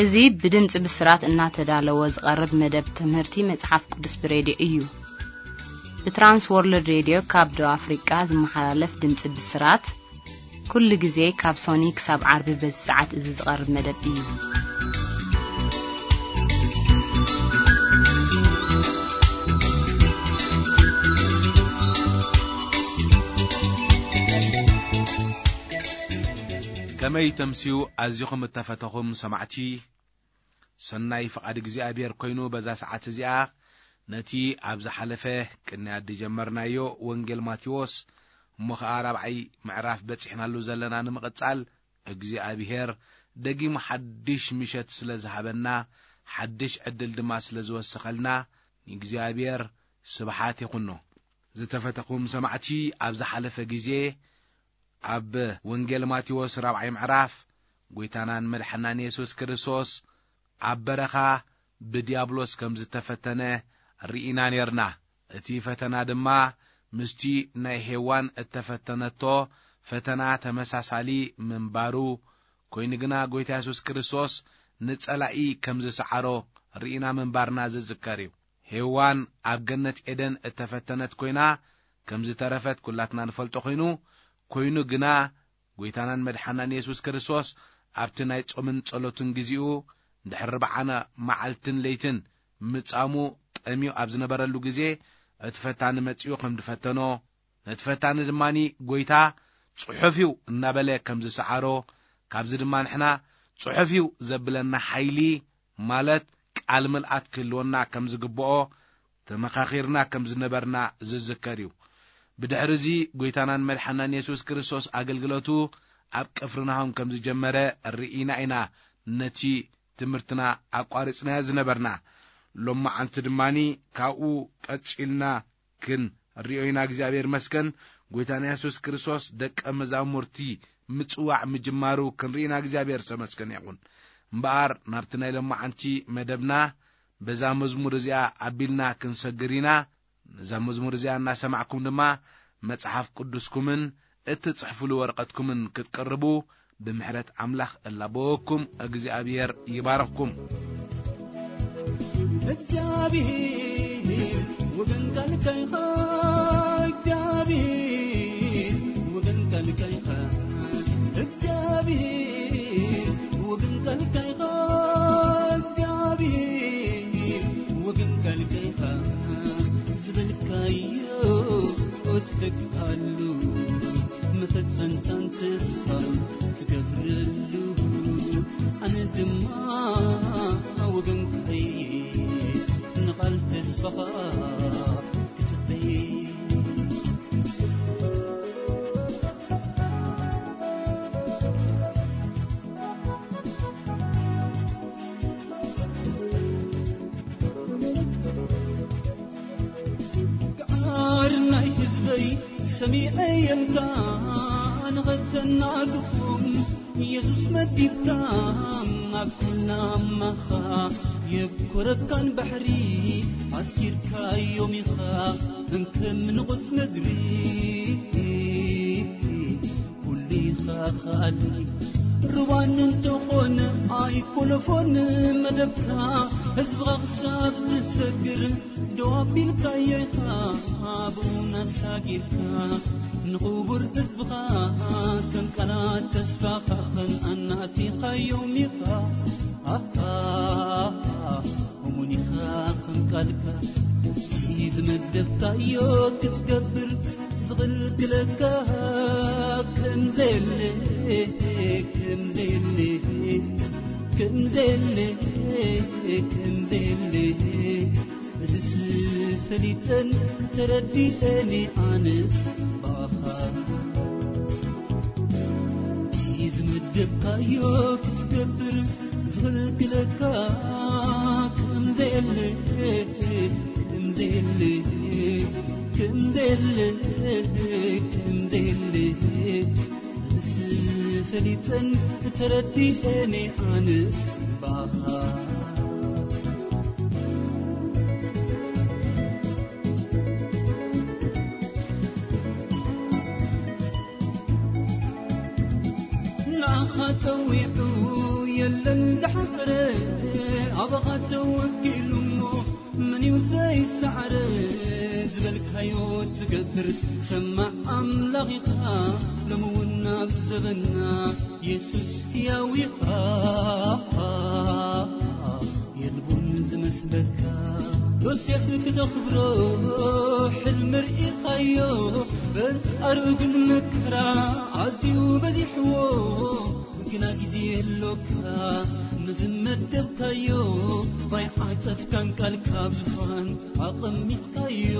እዚ ብድምፂ ብስራት እናተዳለወ ዝቐርብ መደብ ትምህርቲ መጽሓፍ ቅዱስ ብሬድዮ እዩ። ብትራንስ ወርልድ ሬድዮ ካብ ደቡብ ኣፍሪቃ ዝመሓላለፍ ድምፂ ብስራት፣ ኩሉ ግዜ ካብ ሶኒ ክሳብ ዓርቢ በዚ ሰዓት እዚ ዝቐርብ መደብ እዩ። ከመይ ተምስዩ ኣዚኹም እተፈተኹም ሰማዕቲ። ሰናይ ፍቓድ እግዚኣብሔር ኮይኑ በዛ ሰዓት እዚኣ ነቲ ኣብ ዝሓለፈ ቅንያት ዝጀመርናዮ ወንጌል ማቴዎስ እሞ ኸዓ ራብዓይ ምዕራፍ በጺሕናሉ ዘለና ንምቕጻል እግዚኣብሔር ደጊሙ ሓድሽ ምሸት ስለ ዝሃበና፣ ሓድሽ ዕድል ድማ ስለ ዝወሰኸልና ንእግዚኣብሔር ስብሓት ይኹኖ። ዝተፈተኹም ሰማዕቲ፣ ኣብ ዝሓለፈ ግዜ ኣብ ወንጌል ማቴዎስ ራብዓይ ምዕራፍ ጎይታናን መድሓናን የሱስ ክርስቶስ ኣብ በረኻ ብድያብሎስ ከም ዝተፈተነ ርኢና ኔርና። እቲ ፈተና ድማ ምስቲ ናይ ሄዋን እተፈተነቶ ፈተና ተመሳሳሊ ምንባሩ ኮይኑ ግና ጎይታ የሱስ ክርስቶስ ንጸላኢ ከም ዝሰዓሮ ርኢና ምንባርና ዝዝከር እዩ። ሄዋን ኣብ ገነት ኤደን እተፈተነት ኮይና ከም ዝተረፈት ኩላትና ንፈልጦ ኮይኑ፣ ኮይኑ ግና ጎይታናን መድሓናን የሱስ ክርስቶስ ኣብቲ ናይ ጾምን ጸሎትን ግዜኡ ድሕሪ ርብዓነ መዓልትን ለይትን ምጻሙ ጠምዩ ኣብ ዝነበረሉ ግዜ እቲ ፈታኒ መጺኡ ከም ዝፈተኖ፣ ነቲ ፈታኒ ድማኒ ጎይታ ጽሑፍ እዩ እናበለ ከም ዝሰዓሮ፣ ካብዚ ድማ ንሕና ጽሑፍ እዩ ዘብለና ሓይሊ ማለት ቃል ምልኣት ክህልወና ከም ዝግብኦ ተመኻኺርና ከም ዝነበርና ዝዝከር እዩ። ብድሕሪ እዚ ጎይታናን መድሓናን የሱስ ክርስቶስ ኣገልግሎቱ ኣብ ቅፍርናሆም ከም ዝጀመረ ርኢና ኢና ነቲ ትምህርትና ኣቋሪጽናዮ ዝነበርና። ሎማዓንቲ ድማኒ ካብኡ ቀጺልና ክንሪኦ ኢና። እግዚኣብሔር መስገን። ጎይታና የሱስ ክርስቶስ ደቀ መዛሙርቲ ምጽዋዕ ምጅማሩ ክንሪኢና እግዚኣብሔር ተመስገን ይኹን። እምበኣር ናብቲ ናይ ሎማዓንቲ መደብና በዛ መዝሙር እዚኣ ኣቢልና ክንሰግር ኢና። ነዛ መዝሙር እዚኣ እናሰማዕኩም ድማ መጽሓፍ ቅዱስኩምን እትጽሕፍሉ ወረቐትኩምን ክትቅርቡ ብምሕረት ኣምላኽ እላበወኩም። እግዚኣብሔር ይባርኽኩም። እግዚኣብሔር ወገን ቃልካ ኢኻ፣ እግዚኣብሔር ወገን ቃልካ ኢኻ፣ እግዚኣብሔር ወገን ቃልካ ኢኻ፣ እግዚኣብሔር ወገን ቃልካ ኢኻ፣ ዝበልካዮ ትተግኣሉ፣ መፈጸምታን ተስፋን ትገብረሉ። ኣነ ድማ ወገንካይ ንቓል ተስፋኻ ክጽበይ። ገዓር ናይ ህዝበይ ሰሚዐ የልካ ንኸተናግፎም የሱስ መዲብካ ኣብ ኩናማኻ የብኮረካን ባሕሪ ኣስኪርካዮም ኢኻ እንከም ንቑጽ ምድሪ። ኩሉ ኢኻ ኸኣሊ ርዋን እንተኾነ ኣይኮለፎን መደብካ ህዝብኻ ክሳብ ዝሰግር ደው ኣቢልካዮ ኢኻ ብኡን ኣሳጊርካ ንኽቡር ህዝብኻ ከም ቃላት ተስፋኻ ኸን ኣናእቲኻዮም ኢኻ። ኣኻ እሙን ኢኻ ከም ቃልካ እቲ ዝመደብካዮ ክትገብር ዝኽልክለካ ከም ዘየለ ከም ዘየለ ከም ዘየለ ከም ዘየለ እዝስ ፈሊጠን ተረዲኤን ኣነስ ብኣኻ እቲ ዝመደብካዮ ክትገብር ዝኽልክለካ ከም ዘየለ ከም ዘየለ ከም ዘየለ ከም ዘየለ እዝስ ፈሊጠን ተረዲኤን ኣነስ ብኣኻ ንኣኻ ጸዊዑ የለን ዝሓፈረ ኣባኻ ተወኪሉ እሞ፣ መን እዩ ዘይሰዓረ ዝበልካዮ ትገብር። ሰማዕ ኣምላኽ ኢኻ ሎሚ እውን ኣብ ዘበና፣ የሱስ ሕያው ኢኻ፣ የልቦን ዝመስለካ። ዮሴፍ ክተኽብሮ ሕልሚ ርኢኻዮ፣ በንጻሩ ግን መከራ ኣዝዩ በዚሕዎ፣ ግና ግዜ የሎካ ንዝመደብካዮ፣ ባይ ዓጸፍካን ቃልካ ኣብ ዝፋን ኣቐሚጥካዮ።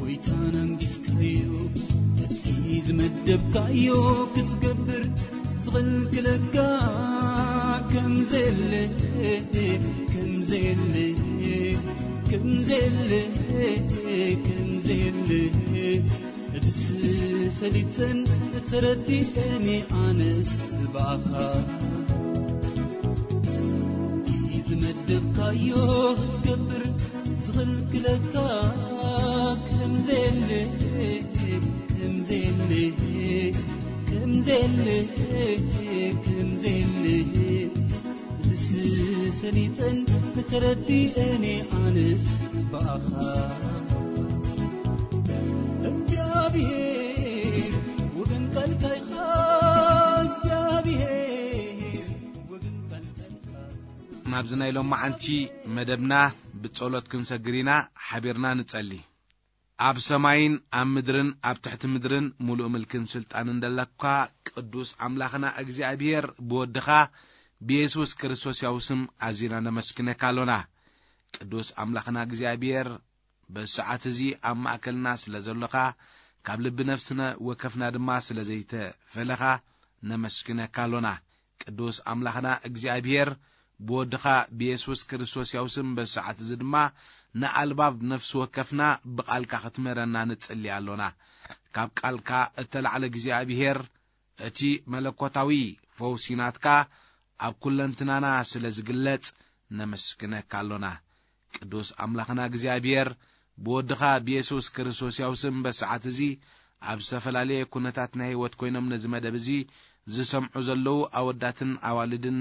ጎይታን ኣንጊስካዮ፣ እቲ ዝመደብካዮ ክትገብር ዝኽልክለካ ከም ዘየለ፣ ከም ዘየለ፣ ከም ዘየለ፣ ከም ዘየለ፣ እዝስ ፈሊጠን ተረዲኤን ኣነስ ብኣኻ። ዝመደብካዮ ክትገብር ዝኽልክለካ ከም ዘየለ፣ ከም ዘየለ፣ ከም ዘየለ፣ ከም ዘየለ፣ እዝስ ፈሊጠን ተረዲኤን ኣነስ ብኣኻ። እግዚኣብሔር ወገን ቃልካ ኢኻ፣ እግዚኣብሔር ወገን ቃልካ ኢኻ። ናብዚ ናይ ሎማዓንቲ መደብና ብጸሎት ክንሰግር ኢና። ሓቢርና ንጸሊ። ኣብ ሰማይን ኣብ ምድርን ኣብ ትሕቲ ምድርን ምሉእ ምልክን ስልጣንን ዘለካ ቅዱስ ኣምላኽና እግዚኣብሔር፣ ብወድኻ ብየሱስ ክርስቶስ ያው ስም ኣዚና ነመስግነካ ኣሎና። ቅዱስ ኣምላኽና እግዚኣብሔር፣ በዚ ሰዓት እዚ ኣብ ማእከልና ስለ ዘሎኻ፣ ካብ ልቢ ነፍስና ወከፍና ድማ ስለ ዘይተፈለኻ ነመስግነካ ኣሎና። ቅዱስ ኣምላኽና እግዚኣብሔር፣ ብወድኻ ብየሱስ ክርስቶስ ያው ስም በዚ ሰዓት እዚ ድማ ንኣልባብ ነፍሲ ወከፍና ብቓልካ ክትምህረና ንጽሊ ኣሎና። ካብ ቃልካ እተላዕለ እግዚኣብሔር፣ እቲ መለኮታዊ ፈውሲ ናትካ ኣብ ኩለንትናና ስለ ዝግለጽ ነመስግነካ ኣሎና። ቅዱስ ኣምላኽና እግዚኣብሔር፣ ብወድኻ ብየሱስ ክርስቶስ ያው ስም በሰዓት እዚ ኣብ ዝተፈላለየ ኩነታት ናይ ህይወት ኮይኖም ነዚ መደብ እዚ ዝሰምዑ ዘለዉ ኣወዳትን ኣዋልድን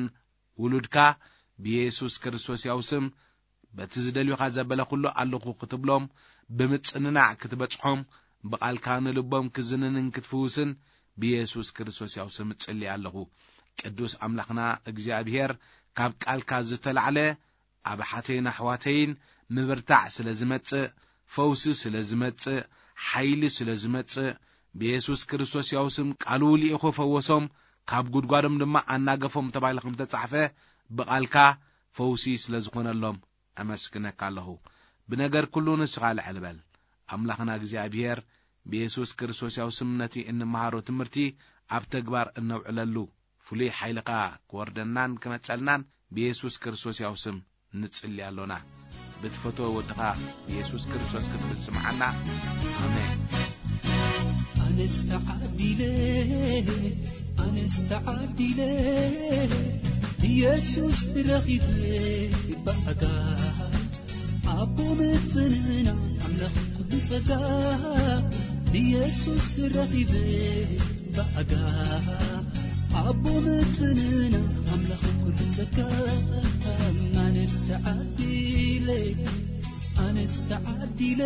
ውሉድካ ብየሱስ ክርስቶስ ያው ስም በቲ ዝደልዩኻ ዘበለ ኩሉ ኣለኹ ክትብሎም፣ ብምጽንናዕ ክትበጽሖም፣ ብቓልካ ንልቦም ክዝንንን ክትፍውስን ብየሱስ ክርስቶስ ያው ስም እጽሊ ኣለኹ። ቅዱስ ኣምላኽና እግዚኣብሔር፣ ካብ ቃልካ ዝተላዕለ ኣብ ኣሓተይን ኣሕዋተይን ምብርታዕ ስለ ዝመጽእ፣ ፈውሲ ስለ ዝመጽእ፣ ሓይሊ ስለ ዝመጽእ፣ ብየሱስ ክርስቶስ ያው ስም ቃሉ ልኢኹ ፈወሶም፣ ካብ ጉድጓዶም ድማ ኣናገፎም ተባሂሉ ከም ተጻሕፈ፣ ብቓልካ ፈውሲ ስለ ዝኾነሎም ኣመስግነካ ኣለኹ። ብነገር ኩሉ ንስኻ ልዕል በል። ኣምላኽና እግዚኣብሔር፣ ብየሱስ ክርስቶስ ያው ስም ነቲ እንመሃሮ ትምህርቲ ኣብ ተግባር እነውዕለሉ ፍሉይ ሓይልኻ ክወርደናን ክመጸልናን ብየሱስ ክርስቶስ ያው ስም ንጽሊ ኣሎና። ብትፈትዎ ወድኻ ብየሱስ ክርስቶስ ክትብል ስምዓና። ኣሜን። ኣነስ ተዓዲለ፣ ኣነስ ተዓዲለ፣ ኢየሱስ ረኺበ ብኣጋ። ኣቦ መጽንና ኣምላኽ ኩሉ ጸጋ፣ ንየሱስ ረኺበ ብኣጋ። ኣቦ መጽንና ኣምላኽ ኩሉ ጸጋ፣ ኣነስ ተዓዲለ፣ ኣነስ ተዓዲለ፣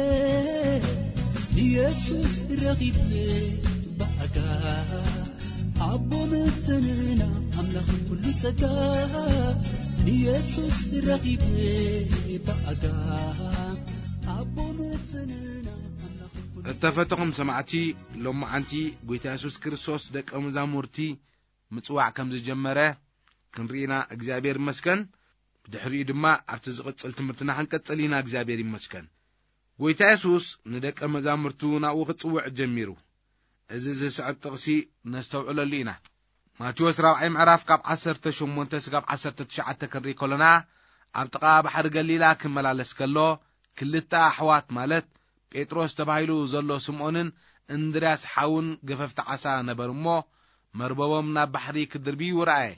ንየሱስ ረኺበ ብኣጋ። ኣቦ መጽንና ኣምላኽ ኩሉ ጸጋ፣ ንየሱስ ረኺበ ብኣጋ። ኣቦ መጽንና ኣምላኽ ኩሉ እተፈተኹም ሰማዕቲ፣ ሎማዓንቲ ጐይታ የሱስ ክርስቶስ ደቀ መዛሙርቲ ምጽዋዕ ከም ዝጀመረ ክንርኢና እግዚኣብሔር ይመስገን። ብድሕሪኡ ድማ ኣብቲ ዝቕጽል ትምህርትና ክንቀጽል ኢና። እግዚኣብሔር ይመስገን። ጐይታ የሱስ ንደቀ መዛሙርቱ ናብኡ ክጽውዕ ጀሚሩ። እዚ ዝስዕብ ጥቕሲ ነስተውዕለሉ ኢና። ማቴዎስ ራብዓይ ምዕራፍ ካብ ዓሰርተ ሸሞንተ ስጋብ ዓሰርተ ትሽዓተ ክንርኢ ከሎና፣ ኣብ ጥቓ ባሕሪ ገሊላ ክመላለስ ከሎ፣ ክልተ ኣሕዋት ማለት ጴጥሮስ ተባሂሉ ዘሎ ስምዖንን እንድርያስ ሓውን ገፈፍቲ ዓሳ ነበሩ እሞ፣ መርበቦም ናብ ባሕሪ ክድርብዩ ረኣየ።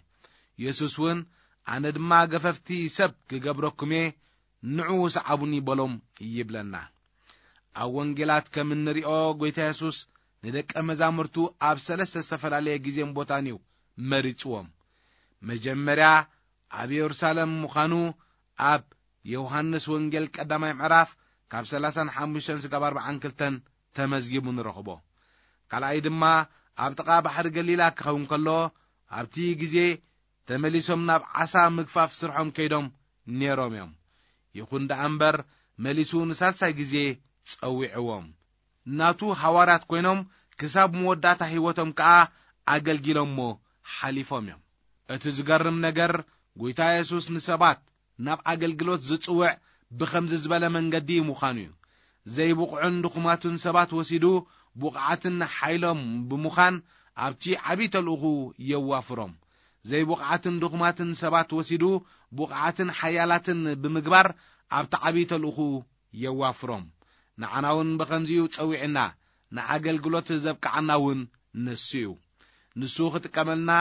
የሱስ እውን፣ ኣነ ድማ ገፈፍቲ ሰብ ክገብረኩም እየ፣ ንዑ ስዓቡኒ በሎም ይብለና። ኣብ ወንጌላት ከም እንሪኦ፣ ጐይታ የሱስ ንደቀ መዛሙርቱ ኣብ ሰለስተ ዝተፈላለየ ግዜን ቦታን እዩ መሪጽዎም። መጀመርያ ኣብ የሩሳሌም ምዃኑ ኣብ ዮሃንስ ወንጌል ቀዳማይ ምዕራፍ ካብ ሰላሳን ሓሙሽተን ስጋብ ኣርባዓን ክልተን ተመዝጊቡ ንረኽቦ። ካልኣይ ድማ ኣብ ጥቓ ባሕሪ ገሊላ ክኸውን ከሎ፣ ኣብቲ ግዜ ተመሊሶም ናብ ዓሳ ምግፋፍ ስርሖም ከይዶም ነይሮም እዮም። ይኹን ደኣ እምበር፣ መሊሱ ንሳልሳይ ግዜ ጸዊዕዎም። ናቱ ሃዋርያት ኮይኖም ክሳብ መወዳእታ ህይወቶም ከኣ ኣገልጊሎሞ ሓሊፎም እዮም። እቲ ዝገርም ነገር፣ ጎይታ የሱስ ንሰባት ናብ ኣገልግሎት ዝጽውዕ ብኸምዚ ዝበለ መንገዲ ምዃኑ እዩ። ዘይብቑዑን ድኹማትን ሰባት ወሲዱ፣ ብቑዓትን ሓይሎም ብምዃን ኣብቲ ዓብዪ ተልእኹ የዋፍሮም። ዘይብቑዓትን ድኹማትን ሰባት ወሲዱ፣ ብቑዓትን ሓያላትን ብምግባር ኣብቲ ዓብዪ ተልእኹ የዋፍሮም። ንዓና እውን ብኸምዚኡ ጸዊዕና፣ ንኣገልግሎት ዘብቅዓና እውን ንሱ እዩ። ንሱ ክጥቀመልና፣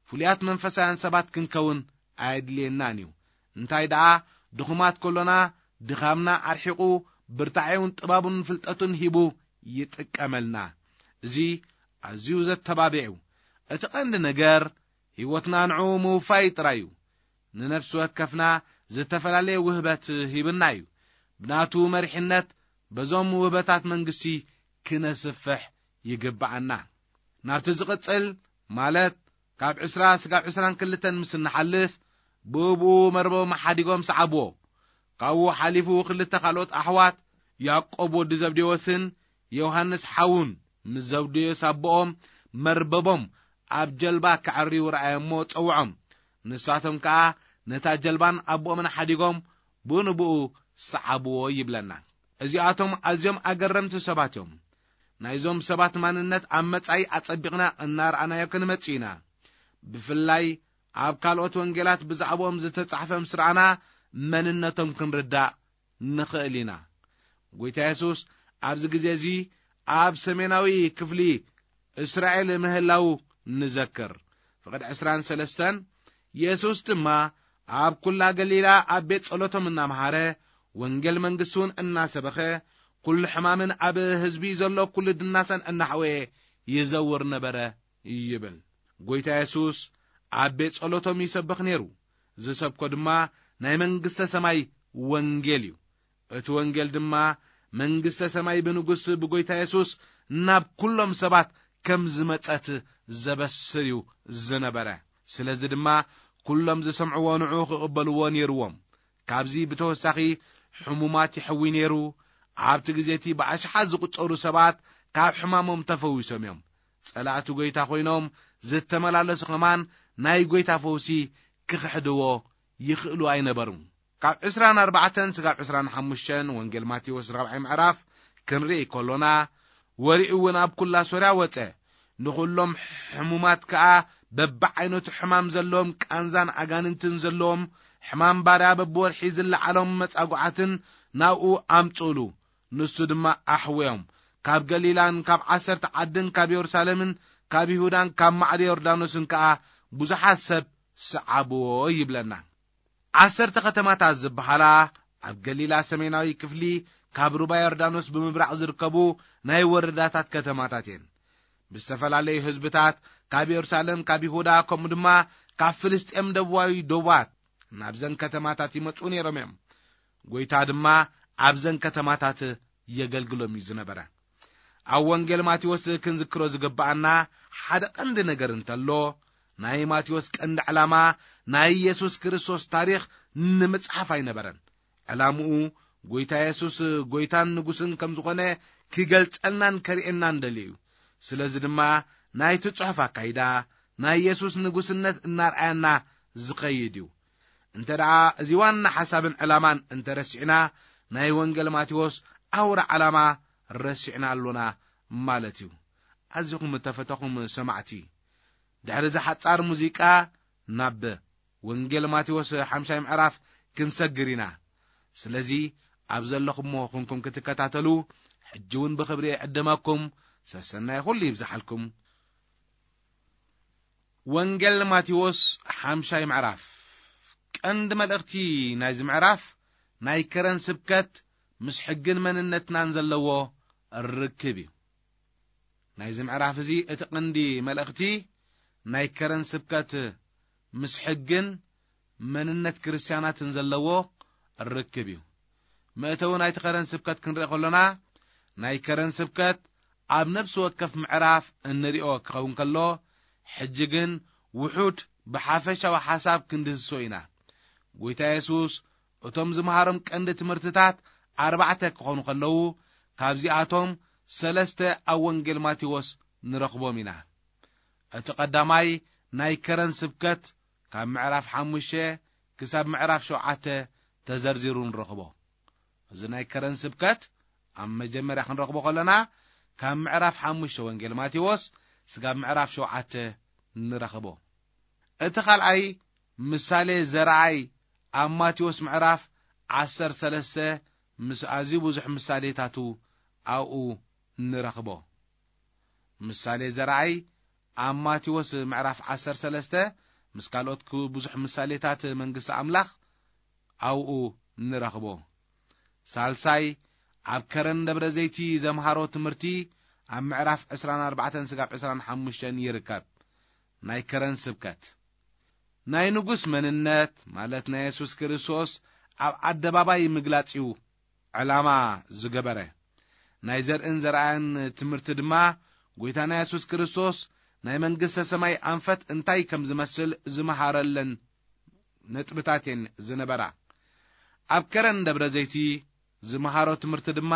ፍሉያት መንፈሳውያን ሰባት ክንከውን ኣየድልየናን እዩ። እንታይ ደኣ፣ ድኹማት ከሎና፣ ድኻምና ኣርሒቑ፣ ብርታዔውን ጥበቡን ፍልጠቱን ሂቡ ይጥቀመልና። እዚ ኣዝዩ ዘተባብዕ እዩ። እቲ ቀንዲ ነገር፣ ህይወትና ንዕኡ ምውፋይ ጥራይ እዩ። ንነፍሲ ወከፍና ዝተፈላለየ ውህበት ሂብና እዩ። ብናቱ መሪሕነት በዞም ውህበታት መንግስቲ ክነስፍሕ ይግብኣና። ናብቲ ዝቕጽል፣ ማለት ካብ ዕስራ ስጋብ ዕስራን ክልተን ምስ እንሓልፍ፣ ብእብኡ መርበቦም ሓዲጎም ሰዓብዎ። ካብኡ ሓሊፉ ክልተ ካልኦት ኣሕዋት፣ ያዕቆብ ወዲ ዘብዴዎስን ዮሃንስ ሓዉን፣ ምስ ዘብዴዎስ ኣቦኦም መርበቦም ኣብ ጀልባ ከዐርዩ ረኣየ እሞ ጸውዖም። ንሳቶም ከኣ ነታ ጀልባን ኣቦኦምን ሓዲጎም ብኡ ንብኡ ሰዓብዎ ይብለና። እዚኣቶም ኣዝዮም ኣገረምቲ ሰባት እዮም። ናይዞም ሰባት ማንነት ኣብ መጻኢ ኣጸቢቕና እናረኣናዮ ክንመጽእ ኢና። ብፍላይ ኣብ ካልኦት ወንጌላት ብዛዕባኦም ዝተጻሕፈ ምስ ረኣና፣ መንነቶም ክንርዳእ ንኽእል ኢና። ጎይታ የሱስ ኣብዚ ግዜ እዚ ኣብ ሰሜናዊ ክፍሊ እስራኤል ምህላዉ ንዘክር። ፍቕድ ዕስራን ሰለስተን፣ የሱስ ድማ ኣብ ኩላ ገሊላ ኣብ ቤት ጸሎቶም እናመሃረ፣ ወንጌል መንግስቲ እውን እናሰበኸ፣ ኩሉ ሕማምን ኣብ ህዝቢ ዘሎ ኩሉ ድናሰን እናሕወየ ይዘውር ነበረ ይብል። ጎይታ የሱስ ኣብ ቤት ጸሎቶም ይሰብኽ ነይሩ። ዝሰብኮ ድማ ናይ መንግስተ ሰማይ ወንጌል እዩ። እቲ ወንጌል ድማ መንግስተ ሰማይ ብንጉስ ብጎይታ የሱስ ናብ ኩሎም ሰባት ከም ዝመጸት ዘበስር እዩ ዝነበረ። ስለዚ ድማ ኩሎም ዝሰምዕዎ ንዑ ክቕበልዎ ነይርዎም። ካብዚ ብተወሳኺ ሕሙማት ይሕዊ ነይሩ። ኣብቲ ግዜ እቲ ብኣሽሓት ዝቑጸሩ ሰባት ካብ ሕማሞም ተፈዊሶም እዮም። ጸላእቲ ጎይታ ኮይኖም ዝተመላለሱ ከማን ናይ ጎይታ ፈውሲ ክኽሕድዎ ይኽእሉ ኣይነበሩን። ካብ ዕስራን ኣርባዕተን ስጋብ ዕስራን ሓሙሽተን ወንጌል ማቴዎስ ራብዓይ ምዕራፍ ክንርኢ ከሎና፣ ወሬኡ እውን ኣብ ኩላ ሶርያ ወጸ። ንኹሎም ሕሙማት ከኣ፣ በብዓይነቱ ሕማም ዘለዎም፣ ቃንዛን ኣጋንንትን ዘለዎም፣ ሕማም ባርያ በብወርሒ ዝለዓሎም መጻጉዓትን ናብኡ ኣምጽኡሉ። ንሱ ድማ ኣሕወዮም። ካብ ገሊላን ካብ ዓሰርተ ዓድን ካብ የሩሳሌምን ካብ ይሁዳን ካብ ማዕዶ ዮርዳኖስን ከኣ ብዙሓት ሰብ ሰዓብዎ ይብለና። ዓሰርተ ከተማታት ዝበሃላ ኣብ ገሊላ ሰሜናዊ ክፍሊ ካብ ሩባ ዮርዳኖስ ብምብራቕ ዝርከቡ ናይ ወረዳታት ከተማታት እየን። ብዝተፈላለዩ ህዝብታት ካብ የሩሳሌም፣ ካብ ይሁዳ፣ ከምኡ ድማ ካብ ፍልስጤም ደቡባዊ ዶባት ናብዘን ከተማታት ይመጹ ነይሮም እዮም። ጎይታ ድማ ኣብዘን ከተማታት የገልግሎም እዩ ዝነበረ። ኣብ ወንጌል ማቴዎስ ክንዝክሮ ዝግብኣና ሓደ ቀንዲ ነገር እንተሎ፣ ናይ ማቴዎስ ቀንዲ ዕላማ ናይ ኢየሱስ ክርስቶስ ታሪኽ ንምጽሓፍ ኣይነበረን። ዕላምኡ ጎይታ የሱስ ጎይታን ንጉስን ከም ዝኾነ ክገልጸልናን ከርእየናን ደልዩ እዩ። ስለዚ ድማ ናይቲ ጽሑፍ ኣካይዳ ናይ የሱስ ንጉስነት እናርኣየና ዝኸይድ እዩ። እንተ ደኣ እዚ ዋና ሓሳብን ዕላማን እንተ ረሲዕና፣ ናይ ወንጌል ማቴዎስ ኣውራ ዕላማ ረሲዕና ኣሎና ማለት እዩ። ኣዚኹም እተፈተኹም ሰማዕቲ፣ ድሕሪ እዚ ሓጻር ሙዚቃ ናብ ወንጌል ማቴዎስ ሓምሻይ ምዕራፍ ክንሰግር ኢና። ስለዚ ኣብ ዘለኹሞ ኹንኩም ክትከታተሉ ሕጂ እውን ብኽብሪ እዕድመኩም። ሰሰናይ ኩሉ ይብዝሓልኩም። ወንጌል ማቴዎስ ሓምሻይ ምዕራፍ። ቀንዲ መልእኽቲ ናይዚ ምዕራፍ ናይ ከረን ስብከት ምስ ሕግን መንነትናን ዘለዎ ርክብ እዩ። ናይዚ ምዕራፍ እዚ እቲ ቀንዲ መልእኽቲ ናይ ከረን ስብከት ምስ ሕግን መንነት ክርስትያናትን ዘለዎ ርክብ እዩ። መእተዊ ናይቲ ከረን ስብከት ክንርኢ ከሎና፣ ናይ ከረን ስብከት ኣብ ነፍሲ ወከፍ ምዕራፍ እንሪኦ ክኸውን ከሎ፣ ሕጂ ግን ውሑድ ብሓፈሻዊ ሓሳብ ክንድህስሶ ኢና። ጎይታ የሱስ እቶም ዝመሃሮም ቀንዲ ትምህርትታት ኣርባዕተ ክኾኑ ከለዉ፣ ካብዚኣቶም ሰለስተ ኣብ ወንጌል ማቴዎስ ንረኽቦም ኢና። እቲ ቀዳማይ ናይ ከረን ስብከት ካብ ምዕራፍ ሓሙሽተ ክሳብ ምዕራፍ ሸውዓተ ተዘርዚሩ ንረኽቦ። እዚ ናይ ከረን ስብከት ኣብ መጀመርያ ክንረኽቦ ከለና፣ ካብ ምዕራፍ ሓሙሽተ ወንጌል ማቴዎስ ስጋብ ምዕራፍ ሸውዓተ ንረኽቦ። እቲ ካልኣይ ምሳሌ ዘርኣይ ኣብ ማቴዎስ ምዕራፍ ዓሰርተ ሰለስተ ምስ ኣዝዩ ብዙሕ ምሳሌታቱ ኣብኡ ንረኽቦ። ምሳሌ ዘርኣይ ኣብ ማቴዎስ ምዕራፍ ዓሰርተ ሰለስተ ምስ ካልኦት ክ-፣ ብዙሕ ምሳሌታት መንግስቲ ኣምላኽ ኣብኡ ንረኽቦ። ሳልሳይ ኣብ ከረን ደብረ ዘይቲ ዘምሃሮ ትምህርቲ ኣብ ምዕራፍ ዕስራን ኣርባዕተን ስጋብ ዕስራን ሓሙሽተን ይርከብ። ናይ ከረን ስብከት ናይ ንጉስ መንነት፣ ማለት ናይ የሱስ ክርስቶስ ኣብ ኣደባባይ ምግላጽ እዩ ዕላማ ዝገበረ። ናይ ዘርእን ዘርኣያን ትምህርቲ ድማ ጎይታና የሱስ ክርስቶስ ናይ መንግስተ ሰማይ ኣንፈት እንታይ ከም ዝመስል ዝመሃረለን ነጥብታት እየን ዝነበራ። ኣብ ከረን ደብረ ዘይቲ ዝመሃሮ ትምህርቲ ድማ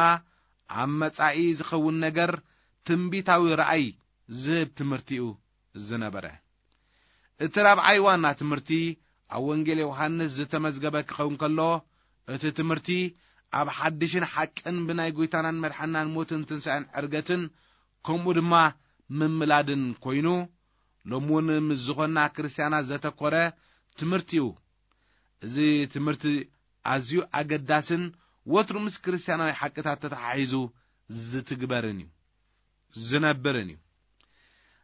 ኣብ መጻኢ ዝኸውን ነገር ትንቢታዊ ረኣይ ዝህብ ትምህርቲ እዩ ዝነበረ። እቲ ራብዓይ ዋና ትምህርቲ ኣብ ወንጌል ዮሃንስ ዝተመዝገበ ክኸውን ከሎ፣ እቲ ትምህርቲ ኣብ ሓድሽን ሓቅን ብናይ ጎይታናን መድሓናን ሞትን ትንሳኤን ዕርገትን፣ ከምኡ ድማ ምምላድን ኮይኑ፣ ሎሚ እውን ምስ ዝኾና ክርስትያናት ዘተኮረ ትምህርቲ እዩ። እዚ ትምህርቲ ኣዝዩ ኣገዳስን ወትሩ ምስ ክርስትያናዊ ሓቅታት ተተሓሒዙ ዝትግበርን እዩ፣ ዝነብርን እዩ።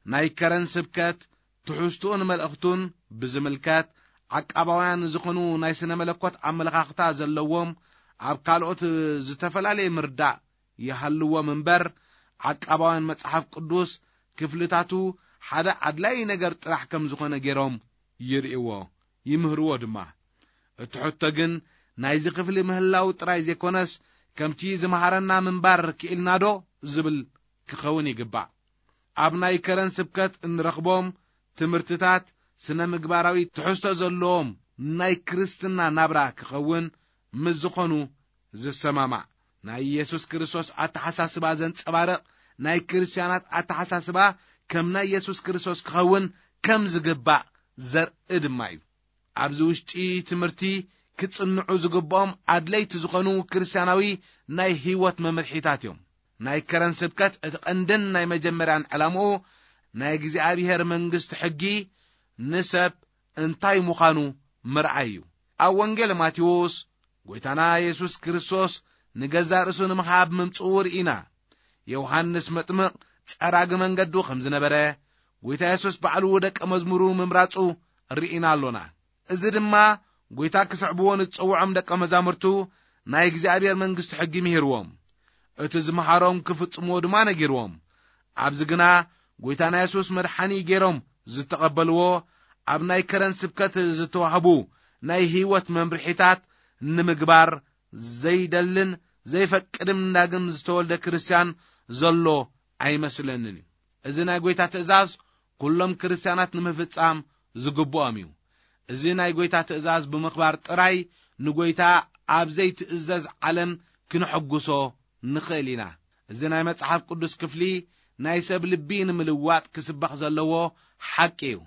ናይ ከረን ስብከት ትሕዝትኡን መልእኽቱን ብዝምልከት፣ ዓቃባውያን ዝኾኑ ናይ ስነ መለኮት ኣመለኻኽታ ዘለዎም ኣብ ካልኦት ዝተፈላለየ ምርዳእ ይሃልዎም እምበር፣ ዓቃባውያን መጽሓፍ ቅዱስ ክፍልታቱ ሓደ ኣድላዪ ነገር ጥራሕ ከም ዝኾነ ገይሮም ይርእይዎ፣ ይምህርዎ ድማ። እቲ ሕቶ ግን ናይዚ ክፍሊ ምህላው ጥራይ ዘይኮነስ፣ ከምቲ ዝመሃረና ምንባር ክኢልናዶ ዝብል ክኸውን ይግባእ። ኣብ ናይ ከረን ስብከት እንረኽቦም ትምህርትታት ስነ ምግባራዊ ትሕዝቶ ዘለዎም ናይ ክርስትና ናብራ ክኸውን ምስ ዝኾኑ ዝሰማማዕ፣ ናይ ኢየሱስ ክርስቶስ ኣተሓሳስባ ዘንጸባርቕ ናይ ክርስትያናት ኣተሓሳስባ ከም ናይ ኢየሱስ ክርስቶስ ክኸውን ከም ዝግባእ ዘርኢ ድማ እዩ። ኣብዚ ውሽጢ ትምህርቲ ክጽንዑ ዝግብኦም ኣድለይቲ ዝኾኑ ክርስትያናዊ ናይ ህይወት መምርሒታት እዮም። ናይ ከረን ስብከት እቲ ቀንድን ናይ መጀመርያን ዕላምኡ ናይ እግዚኣብሔር መንግስቲ ሕጊ ንሰብ እንታይ ምዃኑ ምርኣይ እዩ። ኣብ ወንጌል ማቴዎስ ጎይታና የሱስ ክርስቶስ ንገዛእ ርእሱ ንምሃብ ምምጽኡ ርኢና። ዮሃንስ መጥምቕ ጸራጊ መንገዱ ከም ዝነበረ፣ ጎይታ የሱስ ባዕሉ ደቀ መዝሙሩ ምምራጹ ርኢና ኣሎና። እዚ ድማ ጎይታ ክስዕብዎ ንዝጸውዖም ደቀ መዛሙርቱ ናይ እግዚኣብሔር መንግስቲ ሕጊ ምሂርዎም። እቲ ዝመሃሮም ክፍጽምዎ ድማ ነጊርዎም። ኣብዚ ግና ጎይታና የሱስ መድሓኒ ገይሮም ዝተቐበልዎ፣ ኣብ ናይ ከረን ስብከት ዝተዋህቡ ናይ ህይወት መምርሒታት ንምግባር ዘይደልን ዘይፈቅድም ዳግም ዝተወልደ ክርስትያን ዘሎ ኣይመስለንን እዩ። እዚ ናይ ጎይታ ትእዛዝ ኩሎም ክርስትያናት ንምፍጻም ዝግብኦም እዩ። እዚ ናይ ጎይታ ትእዛዝ ብምኽባር ጥራይ ንጎይታ ኣብ ዘይትእዘዝ ዓለም ክንሕጉሶ ንኽእል ኢና። እዚ ናይ መጽሓፍ ቅዱስ ክፍሊ ናይ ሰብ ልቢ ንምልዋጥ ክስበኽ ዘለዎ ሓቂ እዩ።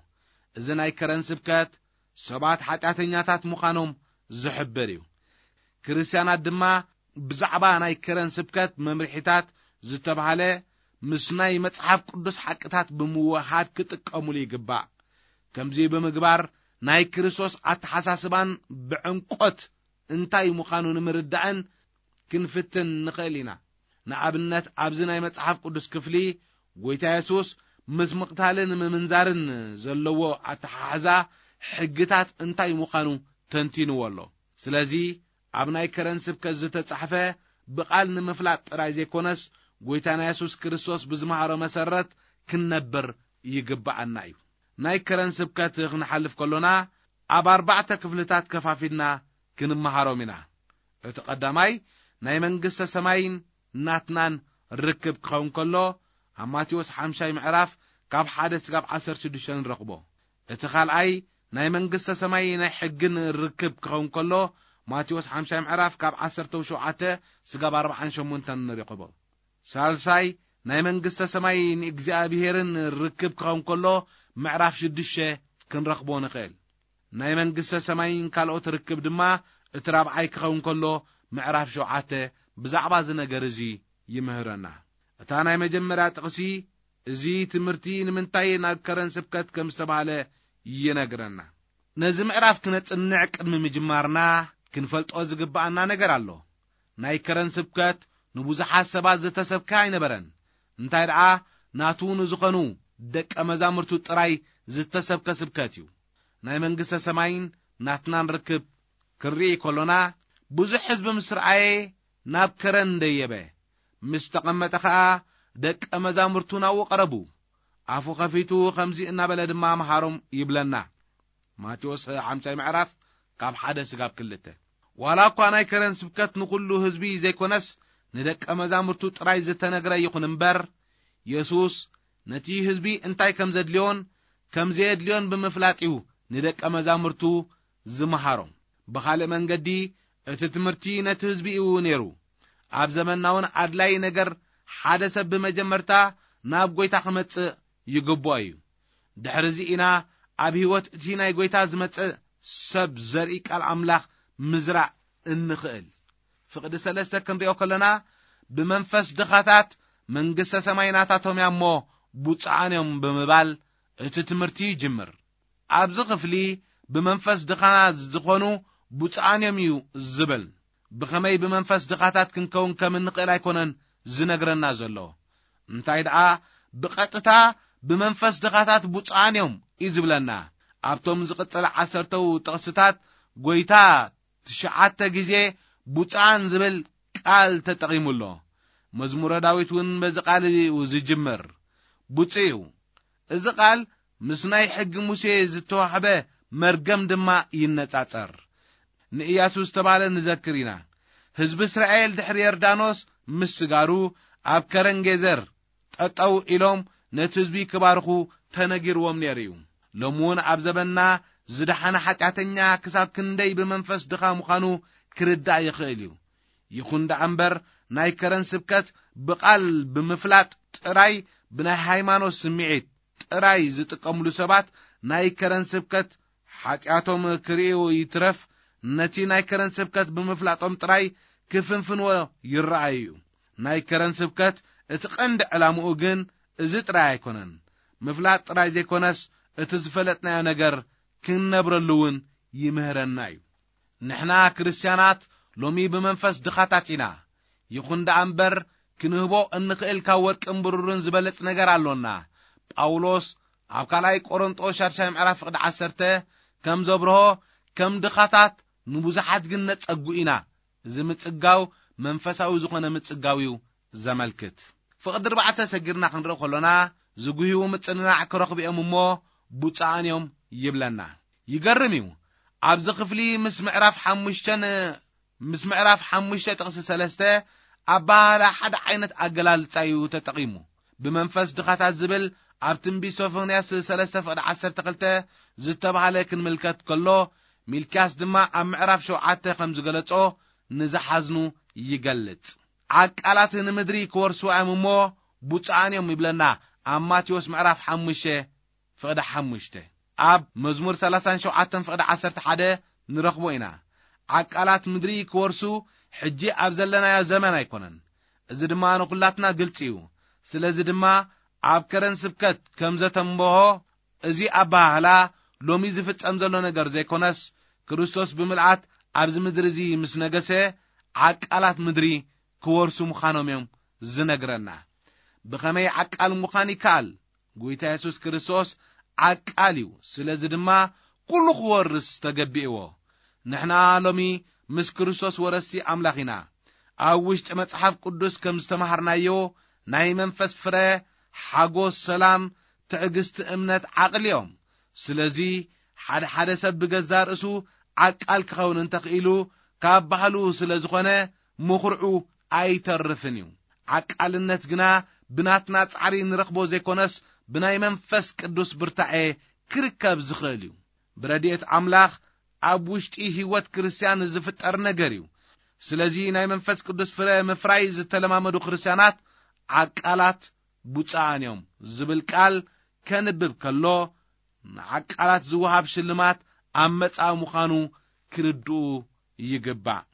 እዚ ናይ ከረን ስብከት ሰባት ሓጢኣተኛታት ምዃኖም ዝሕብር እዩ። ክርስትያናት ድማ ብዛዕባ ናይ ከረን ስብከት መምርሒታት ዝተባህለ ምስ ናይ መጽሓፍ ቅዱስ ሓቅታት ብምውሃድ ክጥቀሙሉ ይግባእ። ከምዚ ብምግባር ናይ ክርስቶስ ኣተሓሳስባን ብዕምቆት እንታይ ምዃኑ ንምርዳእን ክንፍትን ንኽእል ኢና። ንኣብነት፣ ኣብዚ ናይ መጽሓፍ ቅዱስ ክፍሊ ጎይታ የሱስ ምስ ምቕታልን ምምንዛርን ዘለዎ ኣተሓሕዛ ሕግታት እንታይ ምዃኑ ተንቲንዎ ኣሎ። ስለዚ ኣብ ናይ ከረን ስብከት ዝተጻሕፈ ብቓል ንምፍላጥ ጥራይ ዘይኮነስ፣ ጎይታና የሱስ ክርስቶስ ብዝመሃሮ መሰረት ክንነብር ይግብኣና እዩ። ናይ ከረን ስብከት ክንሓልፍ ከሎና፣ ኣብ ኣርባዕተ ክፍልታት ከፋፊልና ክንመሃሮም ኢና። እቲ ቀዳማይ ናይ መንግስተ ሰማይን ናትናን ርክብ ክኸውን ከሎ፣ ኣብ ማቴዎስ ሓምሻይ ምዕራፍ ካብ ሓደ ስጋብ ዓሰርተ ሽዱሽተ ንረኽቦ። እቲ ካልኣይ ናይ መንግስተ ሰማይ ናይ ሕግን ርክብ ክኸውን ከሎ፣ ማቴዎስ ሓምሻይ ምዕራፍ ካብ ዓሰርተ ሸውዓተ ስጋብ ኣርባዓን ሸሞንተን ንረኽቦ። ሳልሳይ ናይ መንግስተ ሰማይ ንእግዚኣብሔርን ርክብ ክኸውን ከሎ፣ ምዕራፍ ሽዱሽተ ክንረኽቦ ንኽእል። ናይ መንግስተ ሰማይን ካልኦት ርክብ ድማ እቲ ራብዓይ ክኸውን ከሎ፣ ምዕራፍ ሸውዓተ ብዛዕባ እዚ ነገር እዚ ይምህረና። እታ ናይ መጀመርያ ጥቕሲ፣ እዚ ትምህርቲ ንምንታይ ናብ ከረን ስብከት ከም ዝተባህለ ይነግረና። ነዚ ምዕራፍ ክነጽንዕ ቅድሚ ምጅማርና፣ ክንፈልጦ ዝግብኣና ነገር ኣሎ። ናይ ከረን ስብከት ንብዙሓት ሰባት ዝተሰብከ ኣይነበረን። እንታይ ደኣ፣ ናቱ ንዝኾኑ ደቀ መዛሙርቱ ጥራይ ዝተሰብከ ስብከት እዩ። ናይ መንግስተ ሰማይን ናትናን ርክብ ክንርኢ ከሎና፣ ብዙሕ ህዝቢ ምስ ረኣየ ናብ ከረን ደየበ። ምስ ተቐመጠ ኸኣ ደቀ መዛሙርቱ ናብኡ ቀረቡ። ኣፉ ኸፊቱ ኸምዚ እናበለ ድማ መሃሮም ይብለና። ማቴዎስ ሓምሻይ ምዕራፍ ካብ ሓደ ስጋብ ክልተ። ዋላ እኳ ናይ ከረን ስብከት ንኹሉ ህዝቢ ዘይኮነስ ንደቀ መዛሙርቱ ጥራይ ዝተነግረ ይኹን እምበር፣ የሱስ ነቲ ህዝቢ እንታይ ከም ዘድልዮን ከም ዘየድልዮን ብምፍላጥ እዩ ንደቀ መዛሙርቱ ዝመሃሮም። ብኻልእ መንገዲ፣ እቲ ትምህርቲ ነቲ ህዝቢ እዩ ነይሩ። ኣብ ዘመንና እውን ኣድላዪ ነገር ሓደ ሰብ ብመጀመርታ ናብ ጐይታ ክመጽእ ይግብኦ እዩ። ድሕሪ እዚ ኢና ኣብ ህይወት እቲ ናይ ጐይታ ዝመጽእ ሰብ ዘርኢ ቃል ኣምላኽ ምዝራእ እንኽእል። ፍቕዲ ሰለስተ ክንሪኦ ከለና፣ ብመንፈስ ድኻታት መንግስተ ሰማይ ናታቶም እያ እሞ ብፁዓን እዮም ብምባል እቲ ትምህርቲ ይጅምር። ኣብዚ ክፍሊ ብመንፈስ ድኻና ዝኾኑ ብፁዓን እዮም እዩ ዝብል። ብኸመይ ብመንፈስ ድኻታት ክንከውን ከም እንኽእል ኣይኮነን ዝነግረና ዘሎ። እንታይ ደኣ፣ ብቐጥታ ብመንፈስ ድኻታት ብፁዓን እዮም እዩ ዝብለና። ኣብቶም ዝቕጽል ዓሰርተው ጥቕስታት ጐይታ ትሽዓተ ግዜ ብፁዓን ዝብል ቃል ተጠቒሙ ኣሎ። መዝሙረ ዳዊት እውን በዚ ቃል እዩ ዝጅምር። ብፁዕ እዩ። እዚ ቃል ምስ ናይ ሕጊ ሙሴ ዝተዋህበ መርገም ድማ ይነጻጸር። ንእያሱ ዝተባህለ ንዘክር ኢና። ህዝቢ እስራኤል ድሕሪ ዮርዳኖስ ምስጋሩ ኣብ ከረን ጌዘር ጠጠው ኢሎም ነቲ ህዝቢ ክባርኹ ተነጊርዎም ነይሩ እዩ። ሎሚ እውን ኣብ ዘበንና ዝደሓነ ሓጢኣተኛ ክሳብ ክንደይ ብመንፈስ ድኻ ምዃኑ ክርዳእ ይኽእል እዩ። ይኹን ደኣ እምበር፣ ናይ ከረን ስብከት ብቓል ብምፍላጥ ጥራይ፣ ብናይ ሃይማኖት ስምዒት ጥራይ ዝጥቀምሉ ሰባት፣ ናይ ከረን ስብከት ሓጢኣቶም ክርእዩ ይትረፍ፣ ነቲ ናይ ከረን ስብከት ብምፍላጦም ጥራይ ክፍንፍንዎ ይረኣዩ እዩ። ናይ ከረን ስብከት እቲ ቀንዲ ዕላምኡ ግን እዚ ጥራይ ኣይኮነን። ምፍላጥ ጥራይ ዘይኮነስ፣ እቲ ዝፈለጥናዮ ነገር ክንነብረሉ እውን ይምህረና እዩ። ንሕና ክርስትያናት ሎሚ ብመንፈስ ድኻታት ኢና። ይኹን ደኣ እምበር፣ ክንህቦ እንኽእል ካብ ወርቅን ብሩርን ዝበለጽ ነገር ኣሎና። ጳውሎስ ኣብ ካልኣይ ቆሮንጦስ ሻድሻይ ምዕራፍ ፍቕዲ ዓሰርተ ከም ዘብርሆ፣ ከም ድኻታት ንብዙሓት ግን ነጸጉ ኢና። እዚ ምጽጋው መንፈሳዊ ዝኾነ ምጽጋው እዩ ዘመልክት። ፍቕዲ ኣርባዕተ ሰጊርና ክንርኢ ከሎና፣ ዝጉህዩ ምጽንናዕ ክረኽቡ እዮም እሞ ብፁዓን እዮም ይብለና። ይገርም እዩ። ኣብዚ ክፍሊ ምስ ምዕራፍ ሓሙሽተን፣ ምስ ምዕራፍ ሓሙሽተ ጥቕሲ ሰለስተ ኣበሃህላ ሓደ ዓይነት ኣገላልጻ እዩ ተጠቒሙ። ብመንፈስ ድኻታት ዝብል ኣብ ትንቢት ሶፎንያስ ሰለስተ ፍቕዲ ዓሰርተ ክልተ ዝተባህለ ክንምልከት ከሎ፣ ሚልክያስ ድማ ኣብ ምዕራፍ ሸውዓተ ከም ዝገለጾ ንዝሓዝኑ ይገልጽ። ዓቃላት ንምድሪ ክወርስዋ እዮም እሞ ብፁዓን እዮም ይብለና ኣብ ማቴዎስ ምዕራፍ ሓሙሽተ ፍቕዲ ሓሙሽተ። ኣብ መዝሙር ሰላሳን ሸውዓተን ፍቕዲ ዓሰርተ ሓደ ንረኽቦ ኢና። ዓቃላት ምድሪ ክወርሱ ሕጂ ኣብ ዘለናዮ ዘመን ኣይኮነን። እዚ ድማ ንኹላትና ግልጺ እዩ። ስለዚ ድማ ኣብ ከረን ስብከት ከም ዘተንበሆ፣ እዚ ኣበሃህላ ሎሚ ዝፍጸም ዘሎ ነገር ዘይኮነስ፣ ክርስቶስ ብምልኣት ኣብዚ ምድሪ እዚ ምስ ነገሰ፣ ዓቃላት ምድሪ ክወርሱ ምዃኖም እዮም ዝነግረና። ብኸመይ ዓቃል ምዃን ይከኣል? ጐይታ የሱስ ክርስቶስ ዓቃል እዩ። ስለዚ ድማ ኩሉ ክወርስ ተገቢእዎ። ንሕና ሎሚ ምስ ክርስቶስ ወረስቲ ኣምላኽ ኢና። ኣብ ውሽጢ መጽሓፍ ቅዱስ ከም ዝተማሃርናዮ፣ ናይ መንፈስ ፍረ፣ ሓጎስ፣ ሰላም፣ ትዕግስቲ፣ እምነት፣ ዓቕሊ እዮም። ስለዚ ሓደ ሓደ ሰብ ብገዛ ርእሱ ዓቃል ክኸውን እንተኽኢሉ ካብ ባህሉ ስለ ዝኾነ ምኹርዑ ኣይተርፍን እዩ። ዓቃልነት ግና ብናትና ጻዕሪ ንረኽቦ ዘይኮነስ ብናይ መንፈስ ቅዱስ ብርታዔ ክርከብ ዝኽእል እዩ። ብረድኤት ኣምላኽ ኣብ ውሽጢ ህይወት ክርስትያን ዝፍጠር ነገር እዩ። ስለዚ ናይ መንፈስ ቅዱስ ፍረ ምፍራይ ዝተለማመዱ ክርስትያናት ዓቃላት ቡጻኣን እዮም ዝብል ቃል ከንብብ ከሎ ንዓቃላት ዝወሃብ ሽልማት ኣብ መጻኢ ምዃኑ ክርድኡ ይግባእ።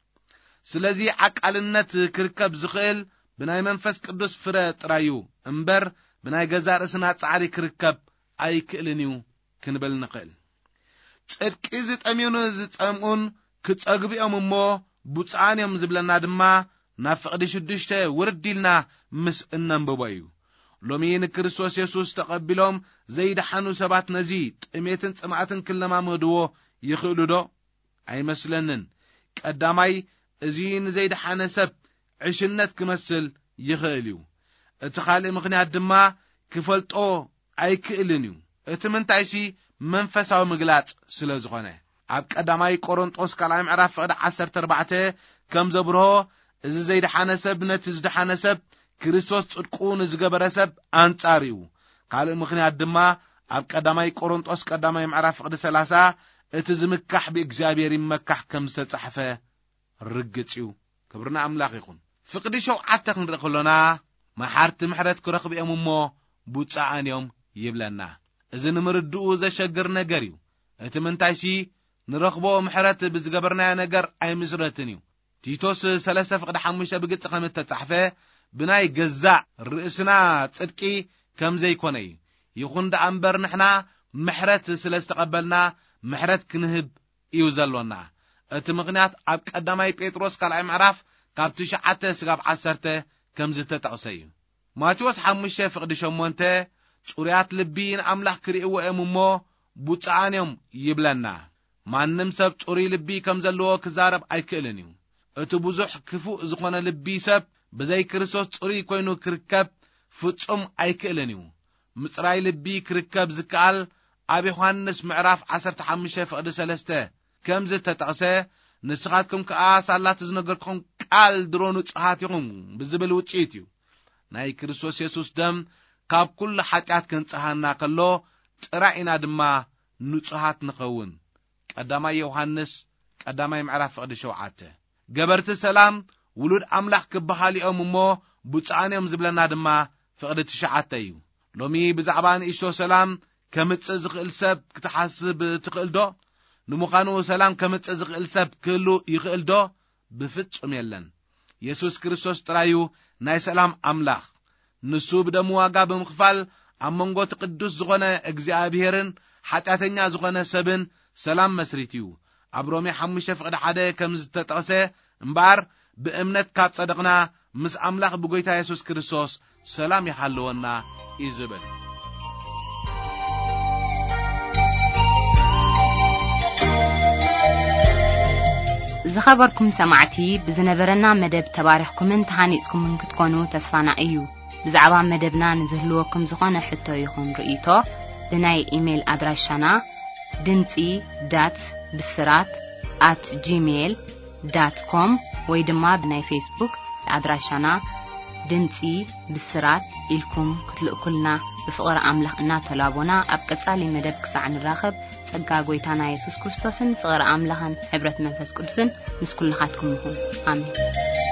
ስለዚ ዓቃልነት ክርከብ ዝኽእል ብናይ መንፈስ ቅዱስ ፍረ ጥራይ እዩ እምበር ብናይ ገዛእ ርእስና ጻዕሪ ክርከብ ኣይክእልን እዩ ክንብል ንኽእል። ጽድቂ ዝጠምዩን ዝጸምኡን ክጸግቡ እዮም እሞ ብፁዓን እዮም ዝብለና ድማ ናብ ፍቕዲ ሽዱሽተ ውርድ ኢልና ምስ እነንብቦ እዩ። ሎሚ ንክርስቶስ የሱስ ተቐቢሎም ዘይደሓኑ ሰባት ነዚ ጥሜትን ጽምኣትን ክለማመድዎ ይኽእሉ ዶ? ኣይመስለንን። ቀዳማይ፣ እዚ ንዘይደሓነ ሰብ ዕሽነት ክመስል ይኽእል እዩ። እቲ ካልእ ምኽንያት ድማ ክፈልጦ ኣይክእልን እዩ። እቲ ምንታይሲ መንፈሳዊ ምግላጽ ስለ ዝኾነ። ኣብ ቀዳማይ ቆሮንጦስ ካልኣይ ምዕራፍ ፍቕዲ ዓሰርተ ኣርባዕተ ከም ዘብርሆ፣ እዚ ዘይደሓነ ሰብ ነቲ ዝደሓነ ሰብ ክርስቶስ ጽድቁ ንዝገበረ ሰብ ኣንጻር እዩ። ካልእ ምኽንያት ድማ ኣብ ቀዳማይ ቆሮንጦስ ቀዳማይ ምዕራፍ ፍቕዲ ሰላሳ እቲ ዝምካሕ ብእግዚኣብሔር ይመካሕ ከም ዝተጻሕፈ ርግጽ እዩ። ክብርና ኣምላኽ ይኹን። ፍቕዲ ሸውዓተ ክንርኢ ከሎና መሓርቲ ምሕረት ክረኽቡ እዮም እሞ ብፁዓን እዮም ይብለና። እዚ ንምርድኡ ዘሸግር ነገር እዩ። እቲ ምንታይሲ ንረኽቦ ምሕረት ብዝገበርናዮ ነገር ኣይምስረትን እዩ። ቲቶስ ሰለስተ ፍቕዲ ሓሙሽተ ብግልጺ ከም እተጻሕፈ ብናይ ገዛእ ርእስና ጽድቂ ከም ዘይኮነ እዩ። ይኹን ደኣ እምበር ንሕና ምሕረት ስለ ዝተቐበልና ምሕረት ክንህብ እዩ ዘሎና። እቲ ምኽንያት ኣብ ቀዳማይ ጴጥሮስ ካልኣይ ምዕራፍ ካብ ትሽዓተ ስጋብ ዓሰርተ ከም ዝተጠቕሰ እዩ። ማቴዎስ ሓሙሽተ ፍቕዲ ሸሞንተ ጽሩያት ልቢ ንኣምላኽ ክርእይዎ እዮም እሞ ብፁዓን እዮም ይብለና። ማንም ሰብ ጽሩይ ልቢ ከም ዘለዎ ክዛረብ ኣይክእልን እዩ። እቲ ብዙሕ ክፉእ ዝኾነ ልቢ ሰብ ብዘይ ክርስቶስ ጽሩይ ኮይኑ ክርከብ ፍጹም ኣይክእልን እዩ። ምጽራይ ልቢ ክርከብ ዝከኣል ኣብ ዮሃንስ ምዕራፍ ዓሰርተ ሓሙሽተ ፍቕዲ ሰለስተ ከም ዝተጠቕሰ፣ ንስኻትኩም ከኣ ሳላ እቲ ዝነገርኩኹም ቃል ድሮ ንጹሃት ኢኹም ብዝብል ውጽኢት እዩ። ናይ ክርስቶስ የሱስ ደም ካብ ኩሉ ሓጢኣት ከንጽሃና ከሎ ጥራይ ኢና ድማ ንጹሃት ንኸውን። ቀዳማይ ዮሃንስ ቀዳማይ ምዕራፍ ፍቕዲ ሸውዓተ። ገበርቲ ሰላም ውሉድ ኣምላኽ ክበሃሉ እዮም እሞ ብፁዓን እዮም ዝብለና ድማ ፍቕዲ ትሽዓተ እዩ። ሎሚ ብዛዕባ ንእሽቶ ሰላም ከምጽእ ዝኽእል ሰብ ክትሓስብ ትኽእል ዶ? ንምዃኑ ሰላም ከምጽእ ዝኽእል ሰብ ክህሉ ይኽእል ዶ? ብፍጹም የለን። የሱስ ክርስቶስ ጥራይ እዩ ናይ ሰላም ኣምላኽ። ንሱ ብደሙ ዋጋ ብምኽፋል ኣብ መንጎ እቲ ቅዱስ ዝኾነ እግዚኣብሔርን ሓጢኣተኛ ዝኾነ ሰብን ሰላም መስሪቱ እዩ። ኣብ ሮሜ ሓሙሽተ ፍቕዲ ሓደ ከም ዝተጠቕሰ እምበኣር ብእምነት ካብ ጸደቕና ምስ ኣምላኽ ብጎይታ የሱስ ክርስቶስ ሰላም ይሃልወና እዩ ዝብል። ዝኸበርኩም ሰማዕቲ፣ ብዝነበረና መደብ ተባሪኽኩምን ተሃኒጽኩምን ክትኮኑ ተስፋና እዩ። ብዛዕባ መደብና ንዝህልወኩም ዝኾነ ሕቶ ይኹን ርእይቶ ብናይ ኢሜይል ኣድራሻና ድምጺ ዳት ብስራት ኣት ጂሜይል ዳት ኮም ወይ ድማ ብናይ ፌስቡክ ኣድራሻና ድምጺ ብስራት ኢልኩም ክትልእኩልና ብፍቕሪ ኣምላኽ እናተላቦና ኣብ ቀጻሊ መደብ ክሳዕ ንራኸብ ጸጋ ጎይታና የሱስ ክርስቶስን ፍቕሪ ኣምላኽን ሕብረት መንፈስ ቅዱስን ምስ ኩልኻትኩም ይኹን። ኣሜን።